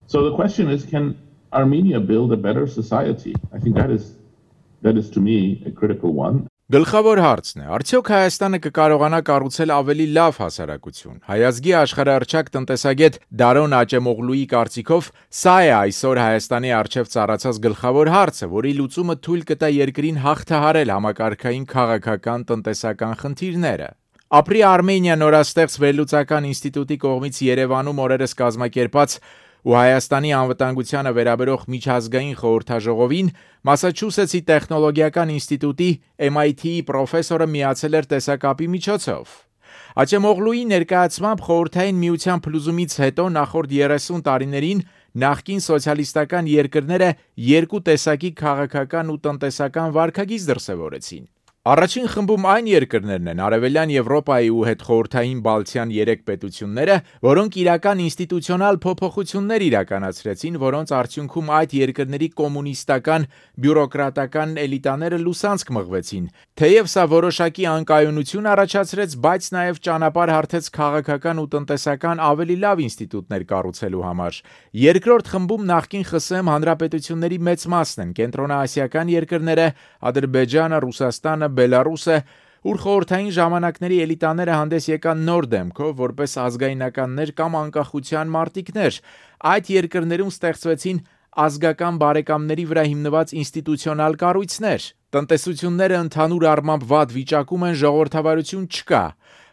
So the question is, can Armenia build a better society? I think that is to me a critical one. Գլխավոր հարցն է, արդյոք Հայաստանը կկարողանա կառուցել ավելի լավ հասարակություն։ Հայազգի աշխարհահռչակ տնտեսագետ Դարոն Աճեմօղլուի կարծիքով սա է այսօր Հայաստանի առջև ծառացած գլխավոր հարցը, որի լուծումը թույլ կտա երկրին հաղթահարել համակարգային քաղաքական տնտեսական խնդիրները։ Ապրի Արմենիա նորաստեղծ վերլուծական ինստիտուտի կողմից Երևանում օրերս կազմակերպած ու Հայաստանի անվտանգությանը վերաբերող միջազգային խորհրդաժողովին Մասաչուսեթսի տեխնոլոգիական ինստիտուտի MIT-ի պրոֆեսորը միացել էր տեսակապի միջոցով։ Աճեմօղլուի ներկայացմամբ խորհրդային միության փլուզումից հետո նախորդ 30 տարիներին նախկին սոցիալիստական երկրները երկու տեսակի քաղաքական ու տնտեսական վարքագիծ դրսևորեցին։ Առաջին խմբում այն երկրներն են Արևելյան Եվրոպայի ու հետխորհրդային Բալթյան 3 պետությունները, որոնք իրական ինստիտուցիոնալ փոփոխություններ իրականացրեցին, որոնց արդյունքում այդ երկրների կոմունիստական բյուրոկրատական էլիտաները լուսանցք մղվեցին։ Թեև սա որոշակի անկայունություն առաջացրեց, բայց նաև ճանապարհ հարթեց քաղաքական ու տնտեսական ավելի լավ ինստիտուտներ կառուցելու համար։ Երկրորդ խմբում նախկին ԽՍՀՄ հանրապետությունների մեծ մասն են կենտրոնաասիական երկրները, Ադրբեջանը, Ռուսաստանը, Բելարուսը, ուր խորհրդային ժամանակների էլիտաները հանդես եկան նոր դեմքով, որպես ազգայնականներ կամ անկախության մարտիկներ։ Այդ երկրներում ստեղծվեցին ազգական բարեկամների վրա հիմնված ինստիտուցիոնալ կառույցներ։ Տնտեսությունները ընդհանուր առմամբ վատ վիճակում են, ժողովրդավարություն չկա։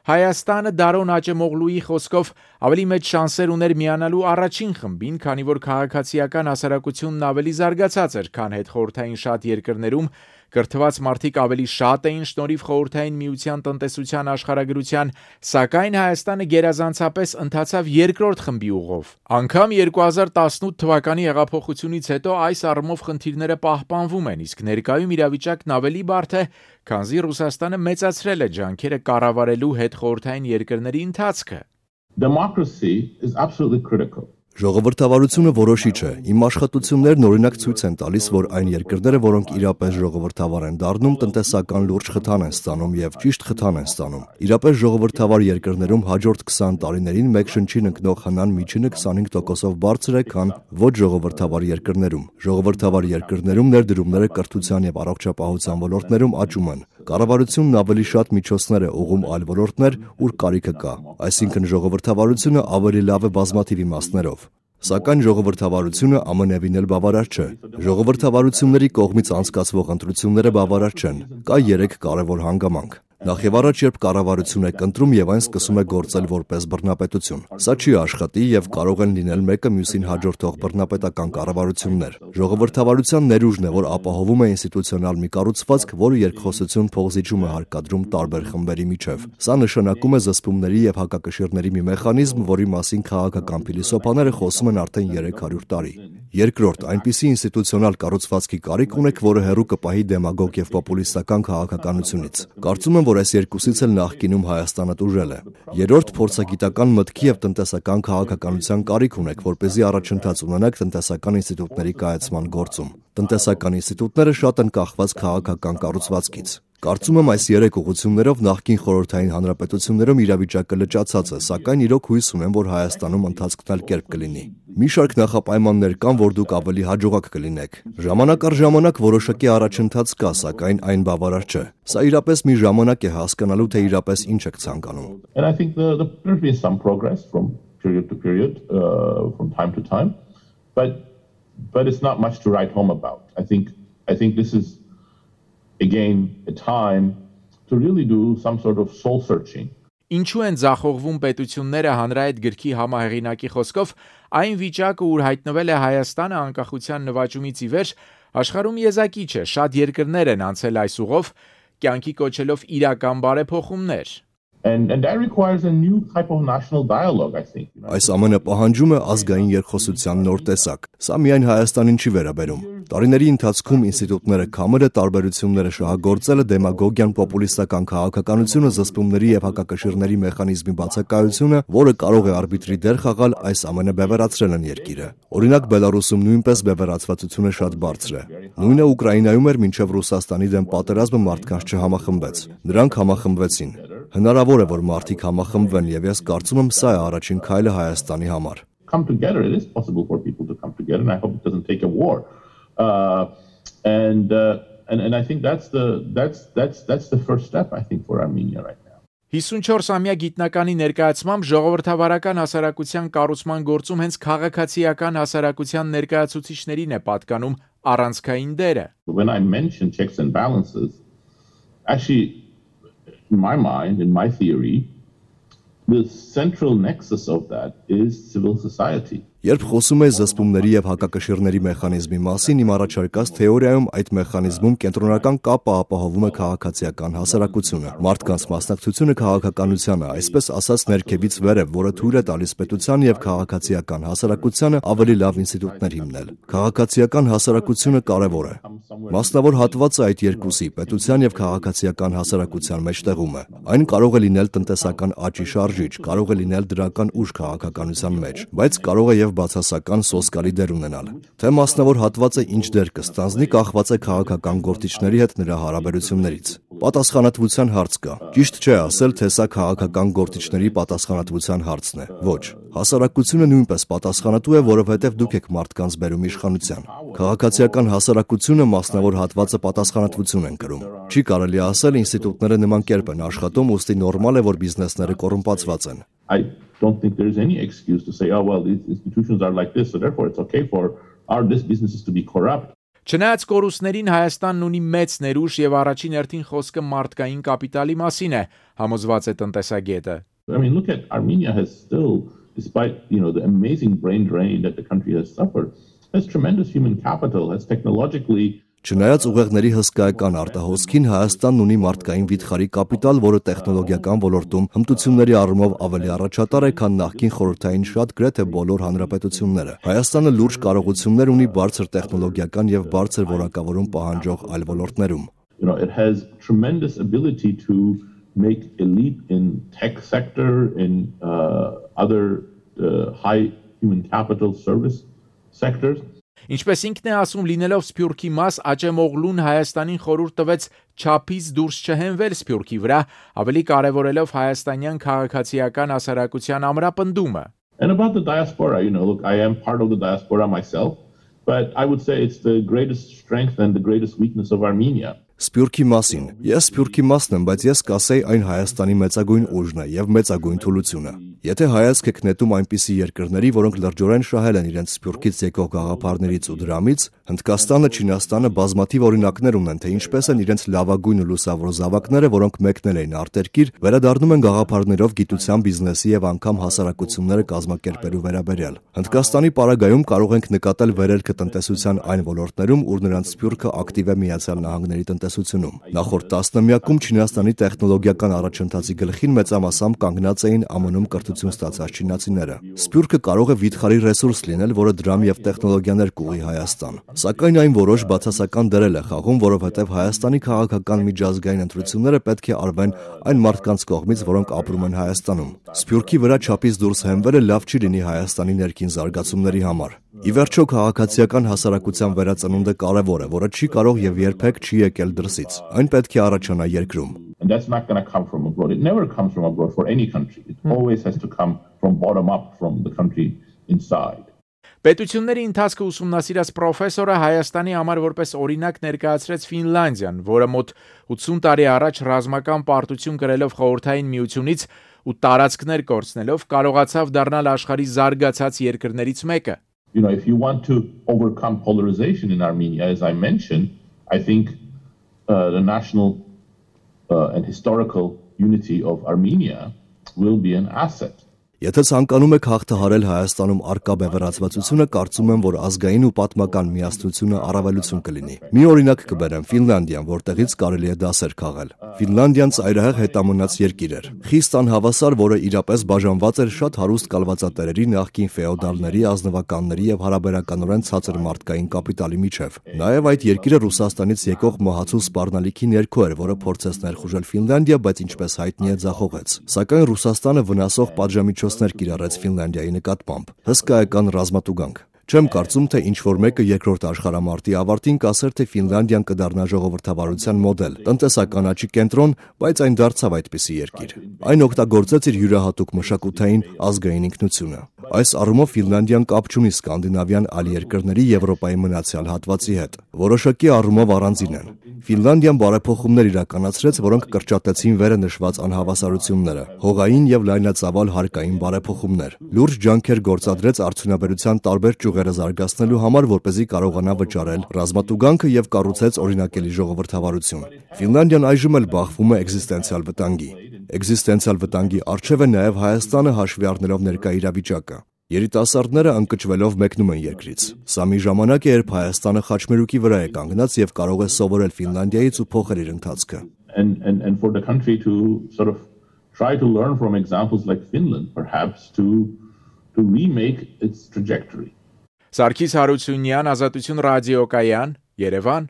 Հայաստանը Դարոն Աճեմօղլուի խոսքով ավելի մեծ շանսեր ուներ միանալու առաջին խմբին, քանի որ քաղաքացիական հասարակությունն ավելի զարգացած էր, քան հետխորհրդային շատ երկրներում, կրթված մարդիկ ավելի շատ էին շնորհիվ խորհրդային միության տնտեսության աշխարհագրության, սակայն Հայաստանը գերազանցապես ընթացավ երկրորդ խմբի ուղով։ Անգամ 2018 թվականի հեղափոխությունից հետո այս առումով խնդիրները պահպանվում են, իսկ ներկայում իրավիճակն ավելի բարդ է, քանզի Ռուսաստանը մեծացրել է ջանքերը կառավարելու հետխորհրդային երկրների ընթացքը։ Democracy is absolutely critical. Ժողովրդավարությունը որոշիչ է։ Իմ աշխատություններն օրինակ ցույց են տալիս, որ այն երկրները, որոնք իրապես ժողովրդավար են դառնում, տնտեսական լուրջ խթան են ստանում եւ ճիշտ խթան են ստանում։ Իրապես ժողովրդավար երկրներում հաջորդ 20 տարիներին մեկ շնչին ընկնող հնան միջինը 25%-ով բարձր է, քան ոչ ժողովրդավար երկրներում։ Ժողովրդավար երկրներում ներդրումները կրթության եւ առողջապահության ոլորտներում աճում են։ Կառավարությունն ավելի շատ միջոցներ է ուղղում այլ ոլորտներ, ուր կարիքը կա։ Այսինքն ժողովրդավարությունը ավելի լավ է բազմաթիվ իմաստներով։ Սակայն ժողովրդավարությունը ամենևին էլ բավարար չէ։ Ժողովրդավարությունների կողմից անցկացվող ընտրությունները բավարար չեն։ Կա 3 կարևոր հանգամանք։ Նախ եւ առաջ, երբ կառավարություն է կընտրում եւ այն սկսում է գործել որպես բռնապետություն։ Սա չի աշխատի եւ կարող են լինել մեկը մյուսին հաջորդող բռնապետական կառավարություններ։ Ժողովրդավարության ներուժն է, որ ապահովում է ինստիտուցիոնալ մի կառուցվածք, որը երկխոսություն փոխզիջում է հարկադրում տարբեր խմբերի միջև։ Սա նշանակում է զսպումների եւ հակակշիռների մի մեխանիզմ, որի մասին քաղաքական փիլիսոփաները խոսում են արդեն 300 տարի։ Երկրորդ, այնպիսի ինստիտուցիոնալ կառուցվածքի կարիք ունեք, որը հեռու կպահի դեմագոգ եւ պոպուլիստական քաղաքականությունից։ Կարծում եմ, որ այս երկուսից էլ նախկինում Հայաստանը տուժել է։ Երրորդ, փորձագիտական մտքի եւ տնտեսական քաղաքականության կարիք ունեք, որպեսզի առաջընթաց ունենաք տնտեսական ինստիտուտների կայացման գործում։ Տնտեսական ինստիտուտները շատ են կախված քաղաքական կառուցվածքից։ Կարծում եմ այս 3 ուղղություններով նախկին խորհրդային հանրապետություններում իրավիճակը լճացած է, սակայն իրոք հույս ունեմ, որ Հայաստանում ընթացքն էլ կերպ կլինի։ Մի շարք նախապայմաններ կան, որ դուք ավելի հաջողակ կլինեք։ Ժամանակ առ ժամանակ որոշակի առաջընթաց կա, սակայն այն բավարար չէ։ Սա իրապես մի ժամանակ է հասկանալու, թե իրապես ինչ եք ցանկանում։ And I think there's been some progress from period to period, from time to time, but it's not much to write home about. I think this is again a time to really do some sort of soul searching. Ինչու են ձախողվում պետությունները հանրայդ գրքի համահեղինակի խոսքով, այն վիճակը, ուր հայտնվել է Հայաստանը անկախության նվաճումից ի վեր, աշխարհում եզակի չէ, շատ երկրներ են անցել այս ուղով, կյանքի կոչելով իրական բարեփոխումներ։ And that requires a new type of national dialogue, I think. Այս ամենը պահանջում է ազգային երկխոսության նոր տեսակ։ Սա միայն Հայաստանին չի վերաբերում։ Տարիների ընթացքում ինստիտուտները քամերը, տարբերությունները շահագործելը, դեմագոգիան, պոպուլիստական քաղաքականությունը, զսպումների եւ հակակշիռների մեխանիզմի բացակայությունը, որը կարող է արբիտրի դեր խաղալ, այս ամենը բևեռացրել են երկիրը։ Օրինակ Բելարուսում նույնպես բևեռացվածությունը շատ բարձր է։ Նույնը Ուկրաինայում էր մինչև Ռուսաստանի դեմ պատերազմը մարդկանց չհամախմբեց։ Նրանք համախմբվեցին։ Հնարավոր է, որ մարդիկ համախմբվեն, եւ ես կարծում եմ, սա է առաջին քայլը Հայաստանի համար։ come together. It is possible for people to come together, and I hope it doesn't take a war. And I think that's the first step, I think, for Armenia right now. 54-ամյա գիտնականի ներկայացմամբ ժողովրդավարական հասարակության կառուցման գործում հենց քաղաքացիական հասարակության ներկայացուցիչներին է պատկանում առանցքային դերը. When I mention checks and balances, actually, in my mind, in my theory, the central nexus of that is civil society. Երբ խոսում է զսպումների եւ հակակշիռների մեխանիզմի մասին, իմ առաջարկած թեորիայում այդ մեխանիզմում կենտրոնական կապը ապահովում է քաղաքացիական հասարակությունը, մարդկանց մասնակցությունը քաղաքականությանը, այսպես ասած ներքևից վերև, որը թույլ է տալիս պետության եւ քաղաքացիական հասարակությանը ավելի լավ ինստիտուտներ հիմնել։ Քաղաքացիական հասարակությունը կարեւոր է։ Մասնավոր հատվածը այդ երկուսի, պետության եւ քաղաքացիական հասարակության մեջտեղում է։ Այն կարող է լինել տնտեսական աճի շարժիչ, կարող է լինել դրական ուժ քաղաքականության մեջ, բայց կարող է եւ բացասական սոսկալի դեր ունենալ։ Թե մասնավոր հատվածը ինչ դեր կստանձնի, կախված է քաղաքական գործիչների հետ նրա հարաբերություններից։ Պատասխանատվության հարց կա։ Ճիշտ չէ ասել, թե սա քաղաքական գործիչների պատասխանատվության հարցն է։ Ոչ։ Հասարակությունը նույնպես պատասխանատու է, որովհետև դուք եք մարդկանց բերում իշխանության։ Քաղաքացիական հասարակությունը մասնավոր հատվածը պատասխանատվություն են կրում։ Չի կարելի ասել ինստիտուտները նման կերպ են աշխատում, ուստի նորմալ է, որ բիզնեսները կոռումպացված են։ I don't think there's any excuse to say, oh, well, these institutions are like this, so therefore it's okay for this businesses to be corrupt. Չնայած կորուստներին Հայաստանն ունի մեծ ներուժ եւ առաջին հերթին խոսքը մարդկային կապիտալի մասին է, համոզված է տնտեսագետը. I mean, look at Armenia has still, despite, the amazing brain drain that the country has suffered, has tremendous human capital, has technologically Չնայած ուղեղների հսկայական արտահոսքին Հայաստանն ունի մարդկային վիթխարի կապիտալ, որը տեխնոլոգիական ոլորտում հմտությունների առումով ավելի առաջատար է, քան նախկին խորհրդային շատ գրեթե բոլոր հանրապետությունները։ Հայաստանը լուրջ կարողություններ ունի բարձր տեխնոլոգիական եւ բարձր որակավորում պահանջող այլ ոլորտներում։ It has tremendous ability to make elite in tech sector, in other high human capital service sectors. Ինչպես ինքն է ասում, լինելով Սփյուռքի մաս, Աճեմօղլուն Հայաստանին խորհուրդ տվեց չափից դուրս չհենվել Սփյուռքի վրա, ավելի կարևորելով հայաստանյան քաղաքացիական հասարակության ամրապնդումը։ And about the diaspora, look, I am part of the diaspora myself, but I would say it's the greatest strength and the greatest weakness of Armenia. Սփյուռքի մասին։ Ես Սփյուռքի մասն եմ, բայց ես կասեի այն Հայաստանի մեծագույն ուժն է եւ մեծագույն թուլությունը։ Եթե հայացք եք նետում այնպիսի երկրների, որոնք լրջորեն շահել են իրենց Սփյուռքից եկող գաղափարներից ու դրամից, Հնդկաստանը, Չինաստանը բազմաթիվ օրինակներ ունեն, թե ինչպես են իրենց լավագույն ու լուսավոր զավակները, որոնք մեկնել էին արտերկիր, վերադառնում են գաղափարներով գիտության, բիզնեսի եւ անգամ հասարակությունները կազմակերպելու վերաբերյալ։ Հնդկաստանի պարագայում կարող ենք նկատել վերելքը տնտեսության այն ոլորտներում, ուր նրանց Սփյուռքը ակտիվ է Միացյալ Նահանգների տնտեսությունում։ Նախորդ տասնամյակում Չինաստանի տեխնոլոգիական առաջընթացի գլխին մեծամասամբ կանգնած էին ԱՄՆ-ում կրթություն ստացած չինացիները։ Սփյուռքը կարող է վիթխարի ռեսուրս լինել, որը դրամ եւ տեխնոլոգիաներ կուղի Հայաստան։ Սակայն այն որոշ բացասական դեր է խաղում, որովհետեւ Հայաստանի քաղաքական միջազգային ընտրությունները պետք է արվեն այն մարդկանց կողմից, որոնք ապրում են Հայաստանում։ Սփյուռքի վրա չափից դուրս հենվելը լավ չի լինի Հայաստանի ներքին զարգացումների համար։ Ի վերջո քաղաքացիական հասարակության վերածնունդը կարևոր է, որը չի կարող եւ երբեք չի եկել դրսից։ Այն պետք է առաջանա երկրում։ And that's not going to come from abroad. It never comes from abroad for any country. It always has to come from bottom up, from the country inside. Պետությունների ընթացքը ուսումնասիրած պրոֆեսորը Հայաստանի համար որպես օրինակ ներկայացրեց Ֆինլանդիան, որը մոտ 80 տարի առաջ ռազմական պարտություն կրելով խորհրդային միությունից ու տարածքներ կորցնելով կարողացավ դառնալ աշխարհի զարգացած երկրներից մեկը։ If you want to overcome polarization in Armenia, as I mentioned, I think the national and historical unity of Armenia will be an asset. Եթե ցանկանում եք հաղթահարել Հայաստանում արկա բևեռացվածությունը, կարծում եմ, որ ազգային ու պատմական միասնությունը առավելություն կլինի։ Մի օրինակ կբերեմ Ֆինլանդիան, որտեղից կարելի է դասեր քաղել։ Ֆինլանդիան ծայրահեղ հետամնաց երկիր էր։ Խիստ անհավասար, որը իրապես բաժանված էր շատ հարուստ կալվածատերերի, նախկին ֆեոդալների, ազնվականների եւ հարաբերականորեն ցածր մարդկային կապիտալի միջև։ Նաեւ այդ երկիրը Ռուսաստանից եկող մահացու սպառնալիքի ներքո էր, որը փորձեց ներխուժել Ֆինլանդիա, բայց ինչպես հայտնի է, ձախողեց։ Սակայն Ռուսաստանը վնասող պատժամիջոցներ կիրառեց Ֆինլանդիայի նկատմամբ։ Հսկայական ռազմատուգանք։ Չեմ կարծում, թե ինչ-որ մեկը երկրորդ աշխարհամարտի ավարտին կասեր, թե Ֆինլանդիան կդառնա ժողովրդավարության մոդել, տնտեսական աճի կենտրոն, բայց այն դարձավ այդպիսի երկիր։ Այն օգտագործեց իր յուրահատուկ մշակութային ազգային ինքնությունը։ Այս առումով Ֆինլանդիան կապ չունի սկանդինավյան այլ երկրների Եվրոպայի մնացյալ հատվածի հետ։ Որոշակի առումով առանձին են։ Ֆինլանդիան բարեփոխումներ իրականացրեց, որոնք կրճատեցին վերը նշված անհավասարությունները, հողային եւ լայնածավալ հարկային բարեփոխումներ։ Լուրջ ջանքեր գործադրեց արդյունաբերության տարբեր ճյուղերը զարգացնելու համար, որպեսզի կարողանա վճարել ռազմատուգանքը եւ կառուցեց օրինակելի ժողովրդավարություն։ Ֆինլանդիան այժմ էլ բախվում է էկզիստենցիալ վտանգի։ Էկզիստենցիալ վտանգի առջև է նաեւ Հայաստանը հաշվի առնելով ներկա իրավիճակը։ Երիտասարդները ընկճվելով մեկնում են երկրից։ Սա մի ժամանակ է, երբ Հայաստանը խաչմերուկի վրա է կանգնած եւ կարող է սովորել Ֆինլանդիայից ու փոխել իր ընթացքը։ And for the country to sort of try to learn from examples like Finland, perhaps to remake its trajectory. Սարգիս Հարությունյան, Ազատություն ռադիոկայան, Երևան։